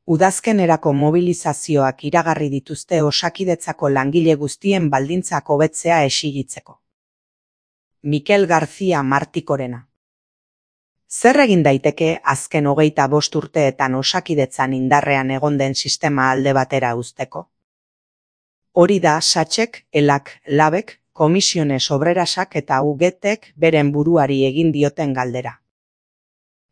Udazkenerako mobilizazioak iragarri dituzte Osakidetzako langile guztien baldintzak hobetzea exigitzeko. Mikel García Martikorena. Zer egin daiteke azken 25 urteetan Osakidetzan indarrean egon den sistema alde batera uzteko? Hori da Satxek, Elak, Labek, Komisiones Obrerasak eta UGTek beren buruari egin dioten galdera.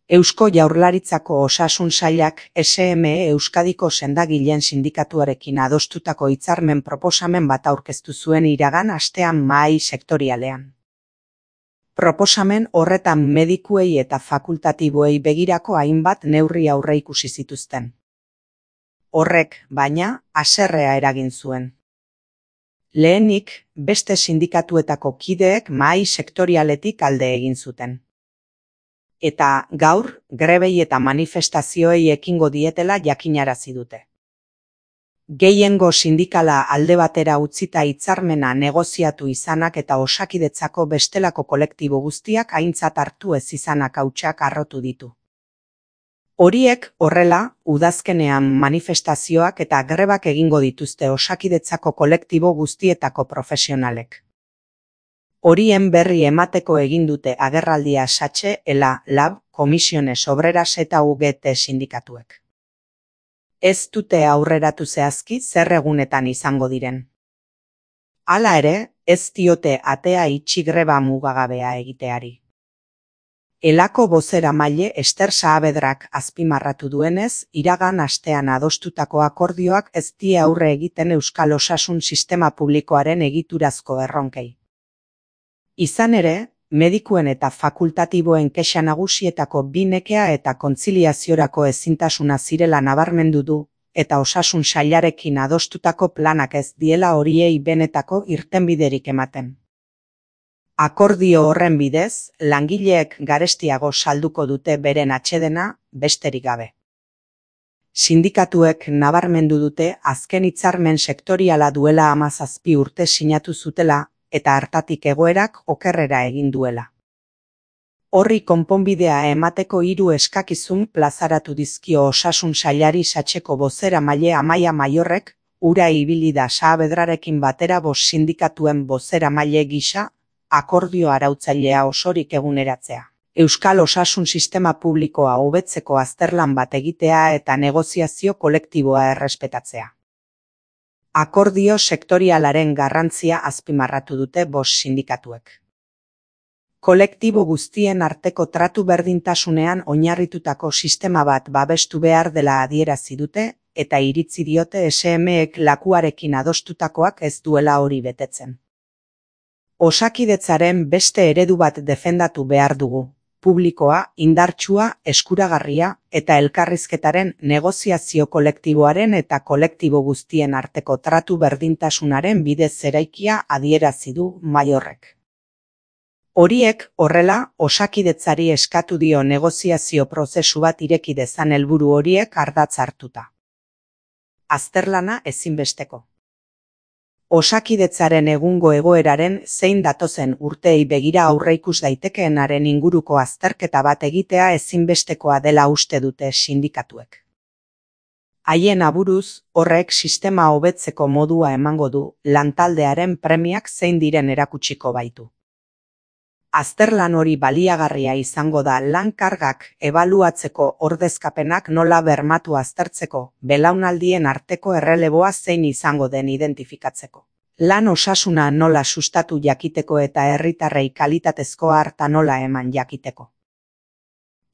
Eusko Jaurlaritzako Osasun Sailak SME Euskadiko sendagileen sindikatuarekin adostutako hitzarmen proposamen bat aurkeztu zuen iragan astean mahai sektorialean. Proposamen horretan medikuei eta fakultatiboei begirako hainbat neurri aurreikusi zituzten. Horrek, baina, haserrea eragin zuen. Lehenik, beste sindikatuetako kideek mahai sektorialetik alde egin zuten. Eta gaur, grebei eta manifestazioei ekingo dietela jakinarazi dute. Gehiengo sindikala alde batera utzita hitzarmena negoziatu izanak eta Osakidetzako bestelako kolektibo guztiak aintzat hartu ez izanak hautsak harrotu ditu. Horiek horrela, udazkenean manifestazioak eta grebak egingo dituzte Osakidetzako kolektibo guztietako profesionalek. Horien berri emateko egin dute agerraldia Satxe, Ela, Lab, Komisiones Obreras eta UGT sindikatuek. Ez dute aurreratu zehazki zer egunetan izango diren. Hala ere, ez diote atea itxi greba mugagabea egiteari. Elako bozeramaile Ester Saavedrak azpimarratu duenez, iragan astean adostutako akordioak ez die aurre egiten Euskal Osasun Sistema Publikoaren egiturazko erronkei. Izan ere, medikuen eta fakultatiboen kexa nagusietako bi nekea eta kontziliaziorako ezintasuna zirela nabarmendu du, eta Osasun Sailarekin adostutako planak ez diela horiei benetako irtenbiderik ematen. Akordio horren bidez, langileek garestiago salduko dute beren atsedena, besterik gabe. Sindikatuek nabarmendu dute azken hitzarmen sektoriala duela 17 urte sinatu zutela, eta hartatik egoerak okerrera egin duela. Horri konponbidea emateko 3 eskakizun plazaratu dizkio Osasun Sailari Satxeko bozeramaile Amaia Maiorrek, ura ibili da Saavedrarekin batera 5 sindikatuen bozeramaile gisa, akordio arautzailea osorik eguneratzea. Euskal Osasun Sistema Publikoa hobetzeko azterlan bat egitea eta negoziazio kolektiboa errespetatzea. Akordio sektorialaren garrantzia azpimarratu dute 5 sindikatuek. Kolektibo guztien arteko tratu berdintasunean oinarritutako sistema bat babestu behar dela adierazi dute, eta iritzi diote SMEek lakuarekin adostutakoak ez duela hori betetzen. Osakidetzaren beste eredu bat defendatu behar dugu. Publikoa, indartsua, eskuragarria eta elkarrizketaren negoziazio kolektiboaren eta kolektibo guztien arteko tratu berdintasunaren bidez eraikia adierazi du Maiorrek. Horiek horrela Osakidetzari eskatu dio negoziazio prozesu bat ireki dezan helburu horiek ardatz hartuta. Azterlana ezinbesteko. Osakidetzaren egungo egoeraren zein datozen urteei begira aurreikus daitekeenaren inguruko azterketa bat egitea ezinbestekoa dela uste dute sindikatuek. Haien aburuz, horrek sistema hobetzeko modua emango du, lantaldearen premiak zein diren erakutsiko baitu. Azterlan hori baliagarria izango da lan kargak ebaluatzeko ordezkapenak nola bermatu aztertzeko, belaunaldien arteko erreleboa zein izango den identifikatzeko. Lan osasuna nola sustatu jakiteko eta herritarrei kalitatezko harta nola eman jakiteko.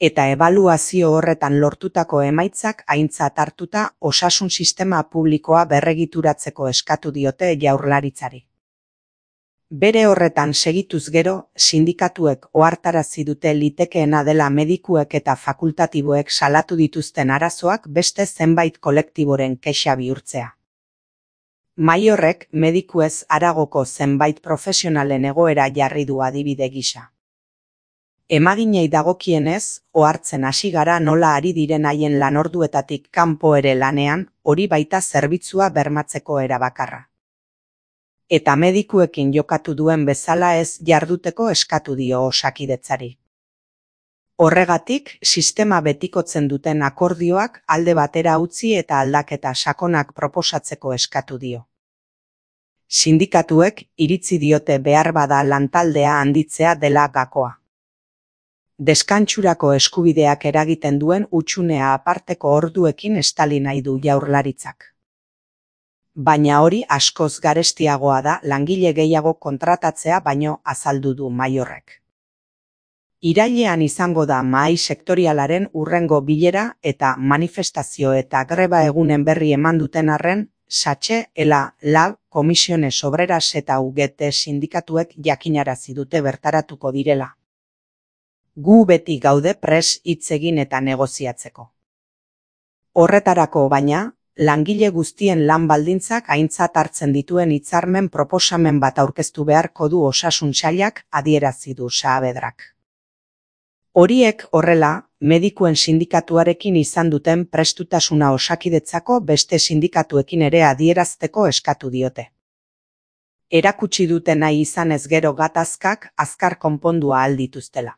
Eta ebaluazio horretan lortutako emaitzak aintzat hartuta osasun sistema publikoa berregituratzeko eskatu diote Jaurlaritzari. Bere horretan segituz gero, sindikatuek ohartarazi dute litekeena dela medikuek eta fakultatiboek salatu dituzten arazoak beste zenbait kolektiboren kexa bihurtzea. Maiorrek medikuez haragoko zenbait profesionalen egoera jarri du adibide gisa. Emaginei dagokienez, ohartzen hasi gara nola ari diren haien lanorduetatik kanpo ere lanean, hori baita zerbitzua bermatzeko era bakarra. Eta medikuekin jokatu duen bezala ez jarduteko eskatu dio Osakidetzari. Horregatik, sistema betikotzen duten akordioak alde batera utzi eta aldaketa sakonak proposatzeko eskatu dio. Sindikatuek iritzi diote beharbada lantaldea handitzea dela gakoa. Deskantsurako eskubideak eragiten duen hutsunea aparteko orduekin estali nahi du Jaurlaritzak. Baina hori askoz garestiagoa da langile gehiago kontratatzea baino azaldu du Maiorrek. Irailean izango da mahai sektorialaren hurrengo bilera eta manifestazio eta greba egunen berri eman duten arren, SACHE, ELA, LAB, Comisiones Obreras eta UGT sindikatuek jakinarazi dute bertaratuko direla. Gu beti gaude prest hitz egin eta negoziatzeko. Horretarako baina, langile guztien lan baldintzak aintzat hartzen dituen hitzarmen proposamen bat aurkeztu beharko du Osasun Sailak, adierazi du Saavedrak. Horiek horrela, medikuen sindikatuarekin izan duten prestutasuna Osakidetzako beste sindikatuekin ere adierazteko eskatu diote. Erakutsi dute nahi izanez gero gatazkak azkar konpondua ahal dituztela.